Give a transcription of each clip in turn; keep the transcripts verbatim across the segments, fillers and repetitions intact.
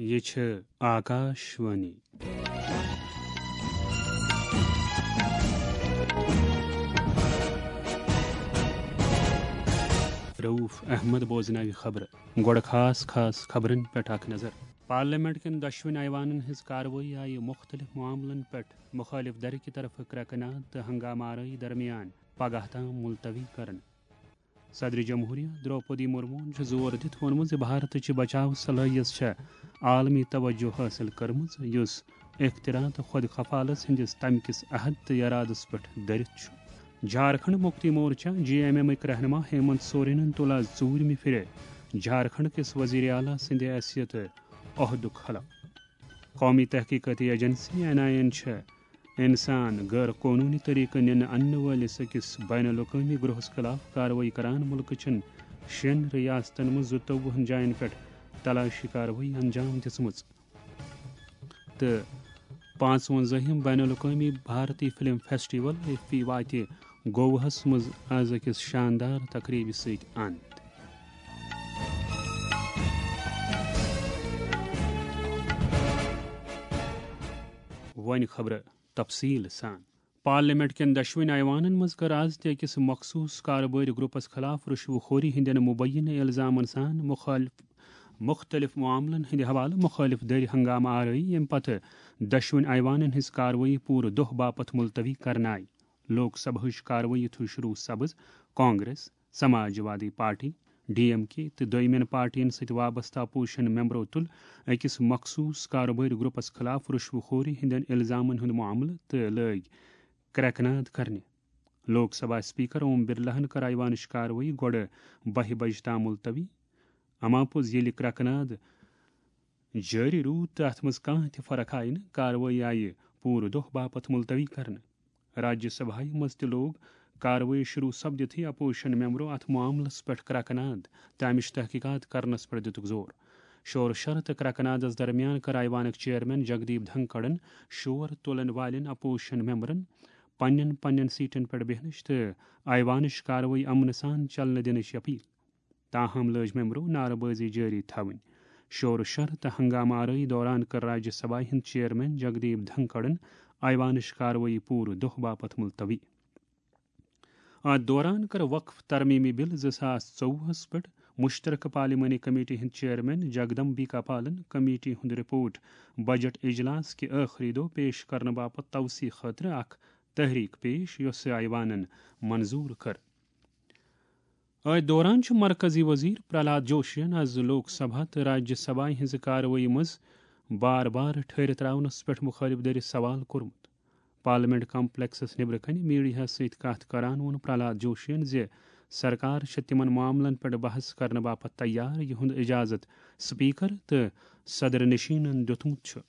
یہِ چھِ آکاش وانی۔ رؤف احمد بوزناوِ خبرٕ۔ گۄڈٕ خاص خاص خبرن پٮ۪ٹھ اکھ نظر۔ پارلیمنٹ کٮ۪ن دۄشوٕنۍ ایوانن ہٕنٛز کاروٲیی آیہِ مُختٔلِف معاملن پٮ۪ٹھ مُخٲلِف دھرِ کہِ طرفہٕ کرٛٮ۪کہٕ ناد تہٕ ہنگامہٕ آرٲیی درمیان پگاہ تام ملتوی کرنہٕ۔ صدر جمہوریہ درٛوپدی مرموہن چھُ زور دِتھ ووٚنمُت زِ بھارتٕچ بچاو صلٲحیت چھےٚ عالمی توجہ حٲصِل کٔرمٕژ، یُس اختراع تہٕ خۄد کفالت ہٕنٛدِس تمہِ کِس عہد تہٕ ارادس پٮ۪ٹھ دٔرِتھ چھُ۔ جھارکھنڈ مکتی مورچہ، جے ایم ایم ٕکۍ رہنما ہیمنت سورینن تُل آز ژوٗرمہِ پھِرِ جھارکھنڈ کِس وزیر اعلیٰ سٕنٛدِ حیثیتہٕ عہدُک حلف۔ قومی تحقیقاتی ایجنسی، این آئی اے، چھےٚ انسان غٲر قونوٗنی طریقہٕ نِنہٕ اننہٕ وٲلِس أکِس بین الاقوٲمی گروہس خلاف کاروٲیی کران مُلکہٕ چٮ۪ن شٮ۪ن ریاستن منٛز زٕتووُہن جاین پٮ۪ٹھ تلاشی کاروٲیی انجام دِژمٕژ۔ تہٕ پانٛژوَنزٲہِم بین الاقوٲمی بھارتی فلم فیسٹیول، ایف فی، واتہِ گوواہس منٛز از أکِس شاندار تقریبہِ سۭتۍ اند۔ وۄنۍ خبرٕ تفصیل سان۔ پارلیمنٹ کٮ۪ن دۄشوٕنۍ ایوانن منٛز کٔر از تہِ أکِس مخصوص کاربٲرۍ گروپس خلاف رشوٕ خوری ہٕنٛدٮ۪ن مبینہ الزامن سان مخالف، مختلف معاملن ہٕنٛدِ حوالہٕ مخٲلف دٔرۍ ہنگامہٕ آرٲیی، ییٚمہِ پتہٕ دۄشوٕنۍ ایوانن ہٕنٛز کاروٲیی پوٗرٕ دۄہ باپتھ ملتوی کرنہٕ آیہِ۔ لوک سبھٕچ کاروٲیی تھوٚو شروع سبز کانگریس، سماج وادی پارٹی، ڈی ایم کے تہٕ دوٚیمٮ۪ن پارٹین سۭتۍ وابستہٕ اپوزیشن ممبرو تُل أکِس مخصوص کاروبٲرۍ گروپس خلاف رشوٕ خوری ہٕنٛدٮ۪ن الزامن ہُنٛد معاملہٕ تہٕ لٲگۍ کرٛٮ۪کہٕ ناد کرنہِ۔ لوک سبھا اسپیکر اوم برلاہن کٔر ایوانٕچ کاروٲیی گۄڈٕ بَہہِ بجہِ تام ملتوی۔ اما پوٚز ییٚلہِ کرٛٮ۪کہٕ ناد جٲری روٗد تہٕ اتھ منٛز کانٛہہ تہِ فرق آیہِ نہٕ، کاروٲیی آیہِ پوٗرٕ دۄہ باپتھ ملتوی کرنہٕ۔ راجیہ سبھایہ منٛز تہِ لوگ کاروٲیی شروع سپدِتھٕے اپوزیشن ممبرو اتھ معاملس پٮ۪ٹھ کرٛٮ۪کہٕ ناد تہٕ امِچ تحقیقات کرنس پٮ۪ٹھ دِتُکھ زور۔ شور شر تہٕ کرٛٮ۪کہٕ نادس درمیان کٔر ایوانٕکۍ چیئرمین جگدیپ دھنکڑن شور تُلن والٮ۪ن اپوزیشن ممبرن پننٮ۪ن پننٮ۪ن سیٹن پٮ۪ٹھ بیہنٕچ تہٕ ایوانٕچ کاروٲیی امنہٕ سان چلنہٕ دِنٕچ اپیل۔ تاہم لٲج ممبرو نعرٕ بٲزی جٲری تھاوٕنۍ۔ شور و شر تہٕ ہنگامہٕ آرٲیی دوران کٔر راجیہ سبھایہ ہٕنٛدۍ چیئرمین جگدیپ دھنکڑن ایوانٕچ کاروٲیی پوٗرٕ دۄہ باپتھ ملتوی۔ اتھ دوران کٔر وقف ترمیمی بل زٕ ساس ژوٚوُہس پٮ۪ٹھ مشترکہ پارلیمانی کمیٹی ہٕنٛدۍ چیئرمین جگدمبیکا پالن کمیٹی ہُنٛد رپورٹ بجٹ اجلاس کہِ ٲخری دۄہ پیش کرنہٕ باپتھ توسیع خٲطرٕ اکھ تحریک پیش، یۄسہٕ ایوانن منظور کٔر۔ أتھۍ دوران چھُ مرکزی وزیر پرہلاد جوشین از لوک سبھا تہٕ راجیہ سبھایہ ہٕنٛزِ کاروٲیی منٛز بار بار ٹھٔہرِتھ ترٛاونس پٮ۪ٹھ مُخٲلف دٔرِتھ سوال کوٚرمُت۔ پارلیمنٹ کمپلیکسس نیبرٕ کنہِ میڈیاہس سۭتۍ کتھ کران ووٚن پرہلاد جوشین زِ سرکار چھےٚ تِمن معاملن پٮ۪ٹھ بحث کرنہٕ باپتھ تیار، یِہُنٛد اجازت سپیکر تہٕ صدر نشینن دیُتمُت چھُ۔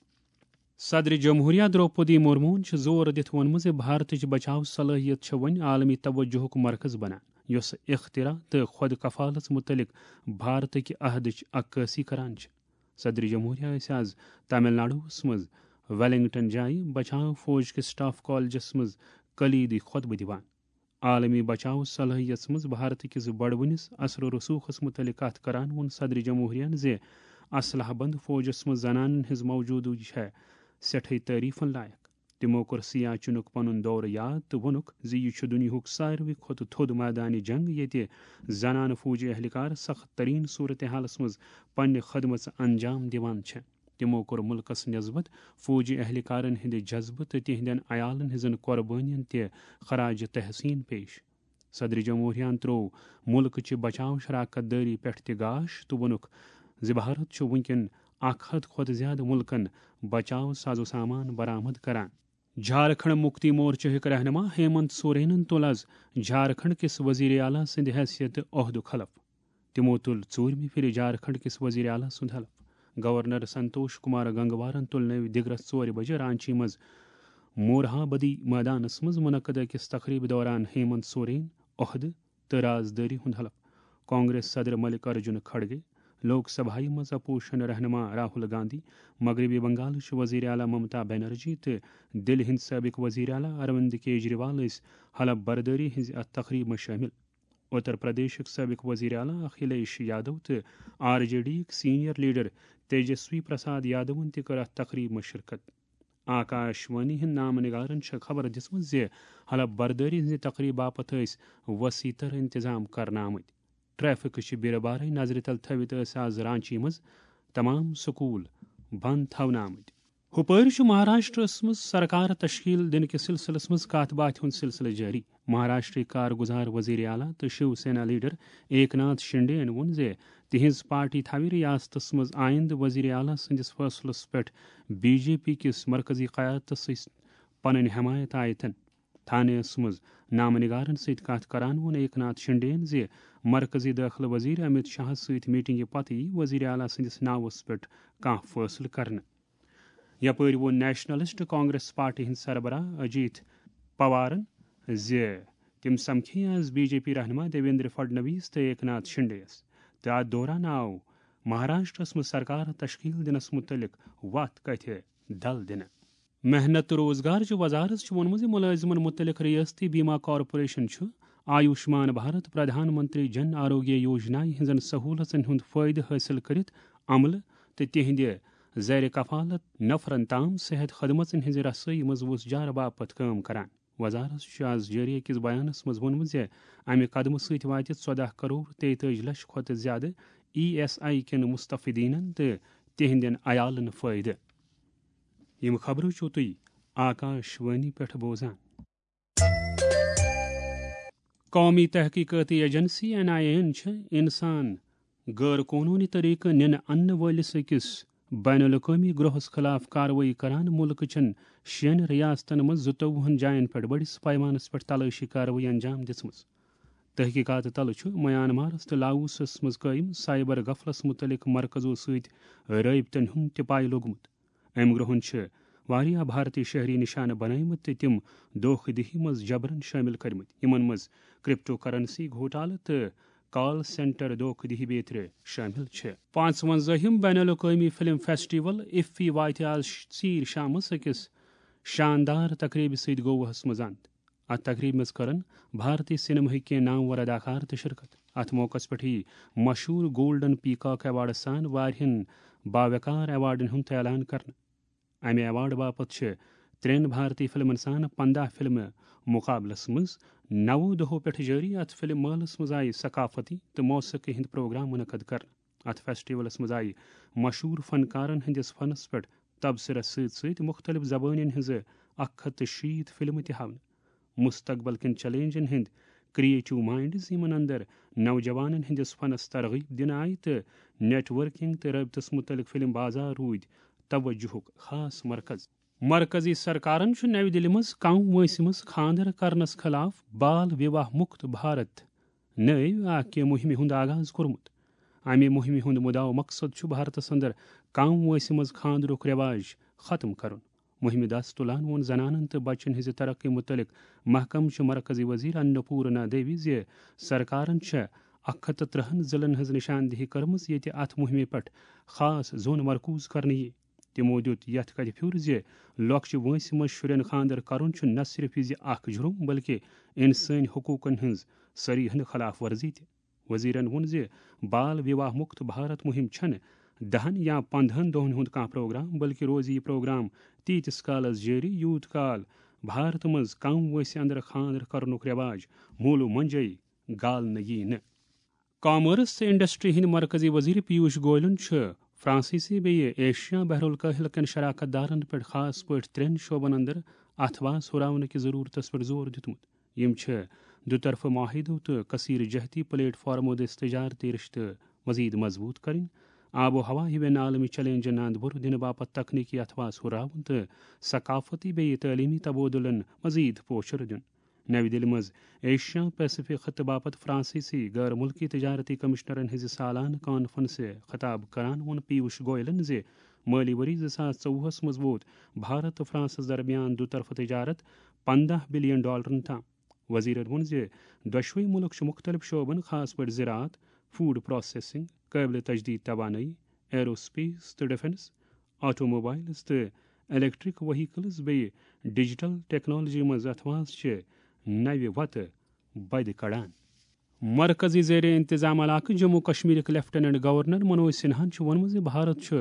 صدر جمہوریہ درٛوپدی مرموہن چھُ زور دِتھ ووٚنمُت زِ بھارتٕچ بچاو صلٲحیت چھےٚ وۄنۍ عالمی توجہُک مرکز بنان، یۄس اختراع تہٕ خۄد کفالت مُتعلق بھارتٕکہِ عہدٕچ عکٲسی کران چھِ۔ صدر جمہوریہ ٲسۍ از تامل ناڈوہس منٛز ویلنگٹن جایہِ بچاو فوج کِس سٹاف کالجس منٛز کلیدی خطبہٕ دِوان۔ عالمی بچاو صلٲحیتس منٛز بھارت کِس بڑوٕنِس اثر و رسوخس مُتعلق کتھ کران ووٚن صدر جمہوریہن زِ اسلحہ بند فوجس منٛز زنانن ہٕنٛز موجودگی چھےٚ سٮ۪ٹھٕے تعریفن لایق۔ تِمو کوٚر سیاچنُک پنُن دورٕ یاد تہٕ ووٚنُکھ زِ یہِ چھُ دُنیاہُک ساروٕے کھۄتہٕ تھوٚد مٲدانہِ جنگ، ییٚتہِ زنانہٕ فوجی اہلکار سخت ترین صورتحالس منٛز پننہِ خدمژٕ انجام دِوان چھےٚ۔ تِمو کوٚر مُلکس نسبت فوجی اہلکارن ہٕنٛدِ جذبہٕ تہٕ تِہنٛدٮ۪ن عیالن ہٕنٛزن قۄربٲنین تہِ خراج تحسین پیش۔ صدر جمہوریہن تروو مُلکہٕ چہِ بچاو شراکت دٲری پٮ۪ٹھ تہِ گاش تہٕ ووٚنُکھ زِ بھارت چھُ وُنکٮ۪ن اکھ ہتھ کھۄتہٕ زیادٕ مُلکن بچاو سازو سامان برآمد کران۔ جھارکھنڈ مکتی مورچہ ہٕکۍ رہنما ہیمنت سورینن تُل از جھارکھنڈ کِس وزیر اعلیٰ سٕنٛدِ حیثیتہٕ عہدُک حلف۔ تِمو تُل ژوٗرمہِ پھِرِ جھارکھنڈ کِس وزیر اعلیٰ سُنٛد حلف۔ گورنر سنتوش کمار گنگوارن تُل نٔوۍ دِگرس ژورِ بجہِ رانچی منٛز مورہا بدی مٲدانس منٛز منعقد أکِس تقریبہِ دوران ہیمنت سورین عہدٕ تہٕ رازدٲری ہُنٛد حلف۔ کانگریس صدر ملک ارجن کھڑگے، لوک سبھایہ منٛز اپوزیشن رہنما راہل گاندھی، مغربی بنگالٕچ وزیر اعلیٰ ممتا بنرجی تہٕ دِلہِ ہٕنٛدۍ سٲبق وزیر اعلیٰ اروند کیجریوال ٲسۍ حلف بردٲری ہٕنٛزِ اتھ تقریبہِ منٛز شٲمِل۔ اتر پردیشٕکۍ سٲبق وزیر اعلیٰ اکھلیش یادو تہٕ آر جے ڈی یِکۍ سینئر لیڈر تیجسوی پرساد یادون تہِ کٔر اتھ تقریبہِ منٛز شرکت۔ آکاش وانی ہٕنٛدۍ نامہٕ نگارن چھےٚ خبر دِژمٕژ زِ حلف بردٲری ہٕنٛزِ تقریبہٕ باپتھ ٲسۍ وسیع تر انتظام کرنہٕ آمٕتۍ۔ ٹریفک چہِ بیرٕ بارے نظرِ تل تھٲوِتھ ٲسۍ آز رانچی منٛز تمام سکول بند تھاونہٕ آمٕتۍ۔ ہُپٲرۍ چھُ مہاراشٹرس منٛز سرکار تشکیل دِنہٕ کِس سلسلس منٛز کتھ باتھِ ہُنٛد سلسلہٕ جٲری۔ مہاراشٹرٕکۍ کارگزار وزیر اعلیٰ تہٕ شیو سینا لیڈر ایک ناتھ شنڈے یَن ووٚن زِ تِہنٛز پارٹی تھاوِ ریاستس منٛز آیندٕ وزیر اعلیٰ سٕنٛدِس فٲصلس پٮ۪ٹھ بی جے پی کِس مرکزی قیادتس سۭتۍ پنٕنۍ حمایت آیتن۔ تھانیَس منٛز نامہٕ نگارن سۭتۍ کتھ کران ووٚن ایک ناتھ شنڈے یَن زِ مرکزی دٲخلہٕ وزیر امت شاہس سۭتۍ میٹنگہِ پتہٕ یی وزیر اعلیٰ سٕنٛدِس ناوس پٮ۪ٹھ کانٛہہ فٲصلہٕ کرنہٕ۔ یپٲرۍ ووٚن نیشنلسٹ کانگریس پارٹی ہٕنٛدۍ سربراہ اجیت پوارن زِ تِم سمکھے آز بی جے پی رہنما دیویندر فڈنویس تہٕ ایک ناتھ شنڈے یَس، تہٕ اتھ دوران آو مہاراشٹرس منٛز سرکار تشکیل دِنس متعلق وتھ کتھِ دل دِنہٕ۔ محنت تہٕ روزگار چہِ وزارت چھُ ووٚنمُت زِ مُلٲزِمن مُتعلق ریاستی بیمہ کارپوریشن چھُ آیوشمان بھارت پردھان منتری جن آروگیہ یوجنا ہٕنٛزن سہوٗلژن ہُنٛد فٲیدٕ حٲصِل کٔرِتھ عملہٕ تہٕ تِہنٛدِ زیر کفالت نفرن تام صحت خدمژن ہٕنٛزِ رسٲیی منٛز وُژھ جارٕ باپتھ کٲم کران۔ وزارت چھُ آز جٲری أکِس بیانس منٛز ووٚنمُت زِ امہِ قدمہٕ سۭتۍ واتہِ ژۄداہ کرور تیتٲجی لچھ کھۄتہٕ زِیٛادٕ ای ایس آی کٮ۪ن مستفیدینن تہٕ تِہنٛدٮ۪ن عیالن فٲیدٕ۔ یِم خبرٕ چھِو تُہۍ آکاش وانی پٮ۪ٹھ بوزان۔ قومی تحقیقاتی ایجنسی این آئی اے یَن چھِ انسان غٲر قونوٗنی طریقہٕ نِنہٕ اننہٕ وٲلِس أکِس بین الاقوٲمی گروہَس خلاف کاروٲیی کران مُلکہٕ چٮ۪ن شٮ۪ن ریاستن منٛز زٕتووُہن جاین پٮ۪ٹھ بٔڑِس پیمانس پٮ۪ٹھ تلٲشی کاروٲیی انجام دِژمٕژ۔ تحقیقات تلہٕ چھُ میانمارس تہٕ لاوسس منٛز قٲیِم سائبر غفلس مُتعلق مرکزو سۭتۍ رٲبطن ہُنٛد تہِ پاے لوٚگمُت۔ أمۍ گروہن چھِ واریاہ بھارتی شہری نشانہٕ بنٲومٕتۍ تہٕ تِم دھوکہ دہی منٛز جبرن شٲمِل کٔرمٕتۍ، یِمن منٛز کرپٹو کرنسی گھوٹالہٕ تہٕ کال سینٹر دھوکہ دہی بیترِ شٲمِل چھِ۔ پانٛژوَنزٲہِم بین الاقوٲمی فلم فیسٹیول ایفی واتہِ آز ژیٖرۍ شامس أکِس شاندار تقریبہِ سۭتۍ گوواہس منٛز اند۔ اتھ تقریبہِ منٛز کرن بھارتی سینماہٕکۍ کینٛہہ نامور اداکار تہِ شرکت۔ اتھ موقعس پٮ۪ٹھ یِیہِ مشہوٗر گولڈن پیکاک ایوارڈس سان واریاہن باوقار ایوارڈن ہُنٛد تہِ اعلان کرنہٕ۔ امہِ ایوارڈ باپتھ چھِ ترٛٮ۪ن بھارتی فلمن سان پنٛداہ فلمہٕ مقابلس منٛز نَوو دۄہو پٮ۪ٹھ جٲری۔ اتھ فلم مٲلس منٛز آیہِ ثقافتی تہٕ موسیقی ہٕنٛدۍ پروگرام منعقد کرنہٕ۔ اتھ فیسٹیولس منٛز آیہِ مشہوٗر فنکارن ہٕنٛدِس فنس پٮ۪ٹھ تبصرس سۭتۍ سۭتۍ مُختٔلِف زبٲنٮ۪ن ہٕنٛزٕ اکھ ہتھ تہٕ شیٖتھ فلمہٕ تہِ ہاونہٕ۔ مستقبل کٮ۪ن چیلنجن ہٕنٛدۍ کریٹو مائنڈز، یِمن اندر نوجوانن ہٕنٛدِس فنس ترغیب دِنہٕ آیہِ تہٕ نیٹ ورکنگ تہٕ رٲبطس مُتعلق فلم بازار روٗدۍ توجہُک خاص مرکز۔ مرکزی سرکارن چھُ نَوِ دِلہِ منٛز کم وٲنٛسہِ منٛز خانٛدر کرنس خلاف بال وِواہ مُکت بھارت نٲوۍ اکھ مُہِمہِ ہُنٛد آغاز کوٚرمُت۔ امہِ مُہِمہِ ہُنٛد مُدعا و مقصد چھُ بھارتس اندر کم وٲنٛسہِ منٛز خانٛدرُک رٮ۪واج ختم کرُن۔ مُہِمہِ دَس تُلان ووٚن زنانن تہٕ بچن ہٕنٛزِ ترقی مُتعلق محکمہٕ چہِ مرکزی وزیر اناپورنا دیوی زِ سرکارن چھےٚ اکھ ہتھ تہٕ ترٕہن ضلعن ہٕنٛز نشاندہی کٔرمٕژ، ییٚتہِ اتھ مُہِمہِ پٮ۪ٹھ خاص زوٚن مرکوز کرنہٕ یِیہِ۔ تِمو دِیُت یتھ کتھِ پھیُر زِ لۄکچہِ وٲنٛسہِ منٛز شُرٮ۪ن خانٛدر کرُن چھُ نہ صرف زِ اکھ جُرم، بلکہِ انسٲنی حقوقن ہٕنٛز صریحن خلاف ورزی تہِ۔ وزیرن ووٚن زِ بال وِواہ مُکت بھارت مُہِم چھَنہٕ دَہن یا پنٛدہن دۄہن ہُنٛد کانٛہہ پروگرام، بلکہِ روزِ یہِ پروگرام تیٖتِس کالس جٲری، یوٗت کال بھارتہٕ منٛز کم وٲنٛسہِ اندر خانٛدر کرنُک رٮ۪واج موٗلہٕ مۄنجے گالنہٕ یِیہِ نہٕ۔ کامٲرٕس تہٕ انڈسٹری ہٕنٛدۍ مرکزی وزیر پیوش گویلن چھُ فرانسیسی بیٚیہِ ایشیا بحر الکاہل کٮ۪ن شراکت دارن پٮ۪ٹھ خاص پٲٹھۍ ترٛٮ۪ن شعبن اندر اتھواس ہُراونہٕ کِس ضروٗرتس پٮ۪ٹھ زور دیُتمُت۔ یِم چھِ دُطرفہٕ معاہدو تہٕ کثیر جہتی پلیٹ فارمو دٔسۍ تجارتی رشتہٕ مزید مضبوط کرٕنۍ، آب و ہوا ہِوٮ۪ن عالمی چیلنجن اند بُرٕ دِنہٕ باپتھ تکنیکی اتھواس ہُراوُن تہٕ ثقافتی بیٚیہِ تعلیمی تبادلن مزید پوچھر دیُن۔ نَوِ دِلہِ منٛز ایشیا پیسیفک خطہٕ باپتھ فرانسیسی غٲر مُلکی تجارتی کمشنرن ہٕنٛزِ سالانہٕ کانفرنسہِ خطاب کران ووٚن پیوش گویلن زِ مٲلی ؤری زٕ ساس ژوٚوُہس منٛز ووت بھارت تہٕ فرانسس درمیان دُطرفہٕ تجارت پنٛداہ بلین ڈالرن تام۔ وزیرن ووٚن زِ دۄشوے مُلک چھِ مُختٔلِف شعبن، خاص پٲٹھۍ زراعت، فوڈ پروسیسنگ، قٲبلِ تجدید توانٲیی، ایرو سپیس تہٕ ڈیفنس، آٹو موبائلز تہٕ الیکٹرک وہیکلز بیٚیہِ ڈیجیٹل ٹیکنالوجی منٛز اتھواس چہِ نوِ وتہٕ بدِ کڑان۔ مرکزی زیر انتظام علاقہٕ جموں کشمیرٕکۍ لیفٹیننٹ گورنر منوج سنہاہن چھُ ووٚنمُت زِ بھارت چھُ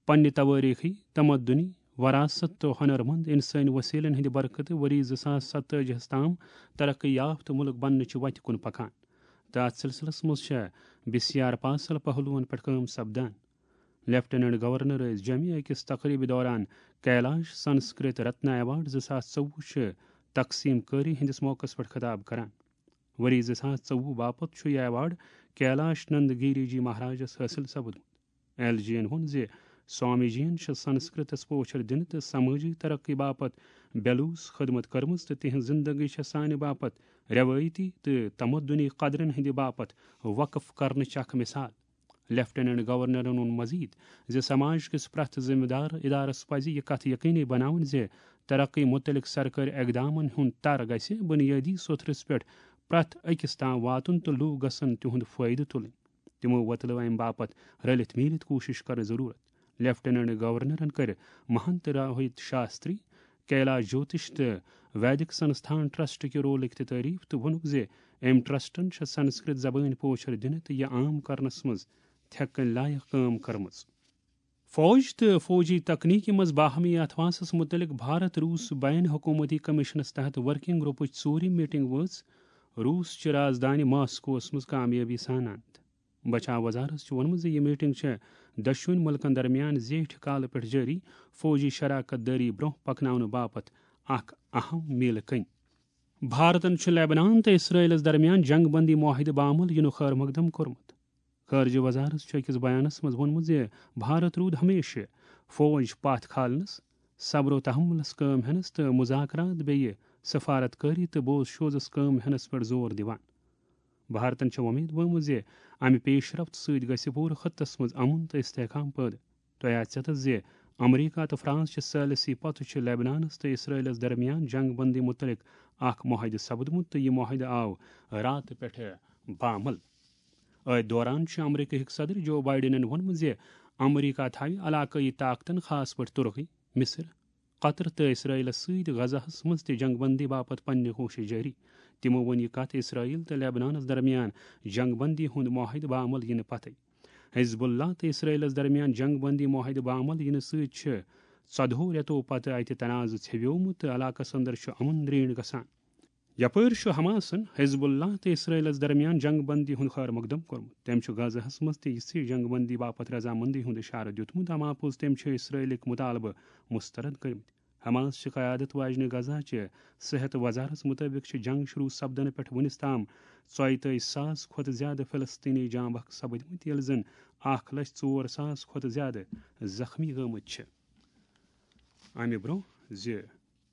پننہِ توٲریخی، تمدنی، وراثت تہٕ ہنرمند انسٲنی وسیلن ہٕنٛدِ برکتہٕ ؤری زٕ ساس ستٲجی ہَس تام ترقی یافتہٕ مُلک بننٕچہِ وتہِ کُن پکان۔ تہٕ اتھ سلسلس منٛز چھےٚ بی سی آر پاسل پہلوَن پٮ۪ٹھ کٲم سپدان۔ لیفٹیننٹ گورنر ٲسۍ جوٚمہِ أکِس تقریبہِ دوران کیلاش سنسکرت رتنا ایوارڈ زٕ ساس ژوٚوُہ چھِ تقسیٖم کٲری ہٕنٛدِس موقعس پٮ۪ٹھ خطاب کران۔ ؤری زٕ ساس ژوٚوُہ باپتھ چھُ یہِ ایوارڈ کیلاش نند گیری جی مہاراجس حٲصِل سپُدمُت۔ ایل جی ین ووٚن زِ سوامی جی ین چھِ سنسکرتس پوچھر دِنہٕ تہٕ سمٲجی ترقی باپتھ بیلوٗس خدمت کٔرمٕژ تہٕ تِہنٛز زندگی چھےٚ سانہِ باپتھ رٮ۪وٲیتی تہٕ تمدنی قدرن ہٕنٛدِ باپتھ وقف کرنٕچ اکھ مثال۔ لیفٹیننٹ گورنرن ووٚن مزید زِ سماج کِس پرٛٮ۪تھ ذمہٕ دار ادارس پزِ یہِ کتھ یقینی بناوٕنۍ زِ ترقی متعلق سرکٲرۍ اقدامن ہُنٛد تر گژھِ بنیٲدی سوٚتھرس پٮ۪ٹھ پرٛٮ۪تھ أکِس تام واتُن تہٕ لوٗکھ گژھن تِہُنٛد فٲیدٕ تُلٕنۍ۔ تِمو وۄتلٲو امہِ باپتھ رٔلِتھ میٖلِتھ کوٗشش کرنٕچ ضروٗرت۔ لیفٹیننٹ گورنرن کٔر مہنت روہت شاستری، کیلاش جوتش تہٕ ویدک سنستھان ٹرسٹ کہِ رولٕکۍ تہِ تعریف تہٕ ووٚنُکھ زِ أمۍ ٹرسٹن چھےٚ سنسکرت زبٲنۍ پوچھر دِنہٕ تہٕ یہِ عام کرنس منٛز تھٮ۪کہٕ کٔنۍ لایق کٲم کٔرمٕژ۔ فوج تہٕ فوجی تکنیٖکی منٛز باہمی اتھواسس متعلق بھارت روٗس بین حکومتی کمیشنس تحت ورکنگ گروپٕچ ژوٗرِم میٹنگ وٲژ روٗس چہِ رازدانہِ ماسکوس منٛز کامیٲبی سان اند۔ بچاو وزارت چھُ ووٚنمُت زِ یہِ میٹنگ چھےٚ دۄشوٕنی مُلکَن درمیان زیٹھِ کالہٕ پٮ۪ٹھ جٲری فوجی شراکت دٲری برٛونٛہہ پکناونہٕ باپتھ اکھ اہم میٖلہٕ کٔنۍ۔ بھارتن چھُ لیبنان تہٕ اسرائیلس درمیان جنگ بندی معاہدٕ باعمل یِنُک خٲر مقدم کوٚرمُت۔ خارجہ وزارت چھُ أکِس بیانس منٛز ووٚنمُت زِ بھارت روٗد ہمیشہِ فوج پتھ کھالنس، صبر و تحملس کٲم ہینس تہٕ مذاکرات بیٚیہِ سفارت کٲری تہٕ بوز شوزس کٲم ہینس پٮ۪ٹھ زور دِوان۔ بھارتن چھےٚ وۄمید ؤومٕژ زِ امہِ پیش رفت سۭتۍ گژھِ پوٗرٕ خطس منٛز امن تہٕ استحکام پٲدٕ۔ تۄہہِ آسہِ ژےٚ تہٕ زِ امریکہ تہٕ فرانس چہِ ثالثی پتہٕ چھِ لیبنانس تہٕ اسرائیلس درمیان جنگ بندی متعلق اکھ معاہدٕ سپدمُت تہٕ یہِ معاہدٕ آو راتہٕ پٮ۪ٹھٕ باعمل۔ أتھۍ دوران چھُ امریکہٕکۍ صدر جو بائیڈنن ووٚنمُت زِ امریکہ تھاوِ علاقٲیی طاقتن، خاص پٲٹھۍ ترکی، مصر، قطر تہٕ اسرائیلس سۭتۍ غزہس منٛز تہِ جنگ بندی باپتھ پننہِ کوٗشش جٲری۔ تِمو ووٚن یہِ کتھ اسرائیل تہٕ لیبنانس درمیان جنگ بندی ہُنٛد معاہدٕ باعمل یِنہٕ پتھے۔ حزب اللہ تہٕ اسرائیلس درمیان جنگ بندی معاہدٕ باعمل یِنہٕ سۭتۍ چھِ ژۄدہو رٮ۪تو پتہٕ اتہِ تنازٕ ژھیویومُت تہٕ علاقس اندر چھُ امن درینڈ گژھان۔ یپٲرۍ چھُ حماسن حزب اللہ تہٕ اسرائیلس درمیان جنگ بندی ہُنٛد خٲر مقدم کوٚرمُت۔ تٔمۍ چھُ غزہس منٛز تہِ یِژھٕے جنگ بندی باپتھ رضامندی ہُنٛد اشارٕ دیُتمُت۔ اما پوٚز تٔمۍ چھِ اسرائیلٕکۍ مطالبہٕ مسترد کٔرمٕتۍ۔ حماس چہِ قیادت واجنہِ غزہ چہِ صحت وزارت مطٲبق چھِ جنگ شروع سپدنہٕ پٮ۪ٹھ وُنِس تام ژۄیتٲجی ساس کھۄتہٕ زیادٕ فلسطینی جاں بحق سپدمٕتۍ، ییٚلہِ زن اکھ لچھ ژور ساس کھۄتہٕ زیادٕ زخمی گٔمٕتۍ چھِ۔ امہِ برٛونٛہہ زِ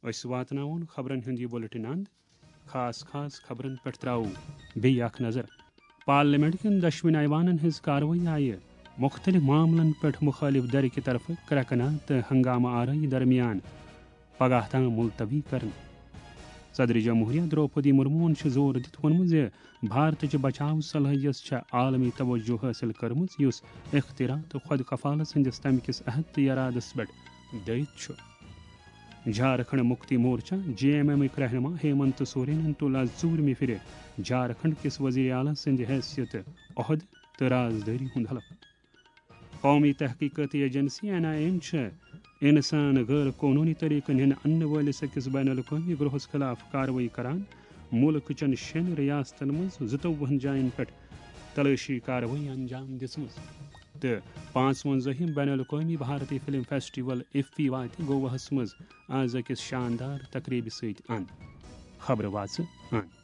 أسۍ واتناوون خبرن ہُنٛد یہِ بُلٹن اند، خاص خاص خبرن پٮ۪ٹھ ترٛاوو بیٚیہِ اکھ نظر۔ پارلیمنٹ کٮ۪ن دۄشوٕنۍ ایوانن ہٕنٛز کاروٲیی آیہِ مُختٔلِف معاملن پٮ۪ٹھ مُخٲلِف دھرٕ کہِ طرفہٕ کرٛٮ۪کہٕ ناد تہٕ ہنگامہٕ آرٲیی درمیان پگاہ تام ملتوی کرنہٕ۔ صدر جمہوریہ درٛوپدی مرموہن چھُ زور دِتھ ووٚنمُت زِ بھارتٕچ بچاو صلٲحیت چھےٚ عالمی توجہ حٲصِل کٔرمٕژ، یُس اختراع تہٕ خۄد کفالس ہٕنٛدِس تمہِ کِس عہد تہٕ ارادس پٮ۪ٹھ دٲرِتھ چھُ۔ جھارکھنڈ مکتی مورچہ، جے ایم ایمٕکۍ رہنما ہیمنت سورینن تُل آز ژوٗرمہِ پھِرِ جھارکھنڈ کِس وزیر اعلیٰ سٕنٛدِ حیثیتہٕ عہدٕ تہٕ رازدٲری ہُنٛد حلف۔ قومی تحقیقاتی ایجنسی، این آئی اے، چھِ انسان غٲر قونوٗنی طریقن ہٕنٛدۍ اننہٕ وٲلِس أکِس بین الاقوٲمی گروہس خلاف کاروٲیی کران۔ مُلکہٕ چٮ۪ن شٮ۪ن ریاستن منٛز زٕتووُہن جاین پٮ۪ٹھ تلٲشی کاروٲیی انجام دِژمٕژ۔ تہٕ پانٛژوَنٛزٲہِم بین الاقوٲمی بھارتی فلم فیسٹیول ایفی واتہِ گواہس منٛز آز أکِس شاندار تقریبہِ سۭتۍ اند۔ خبرٕ واژٕ اند۔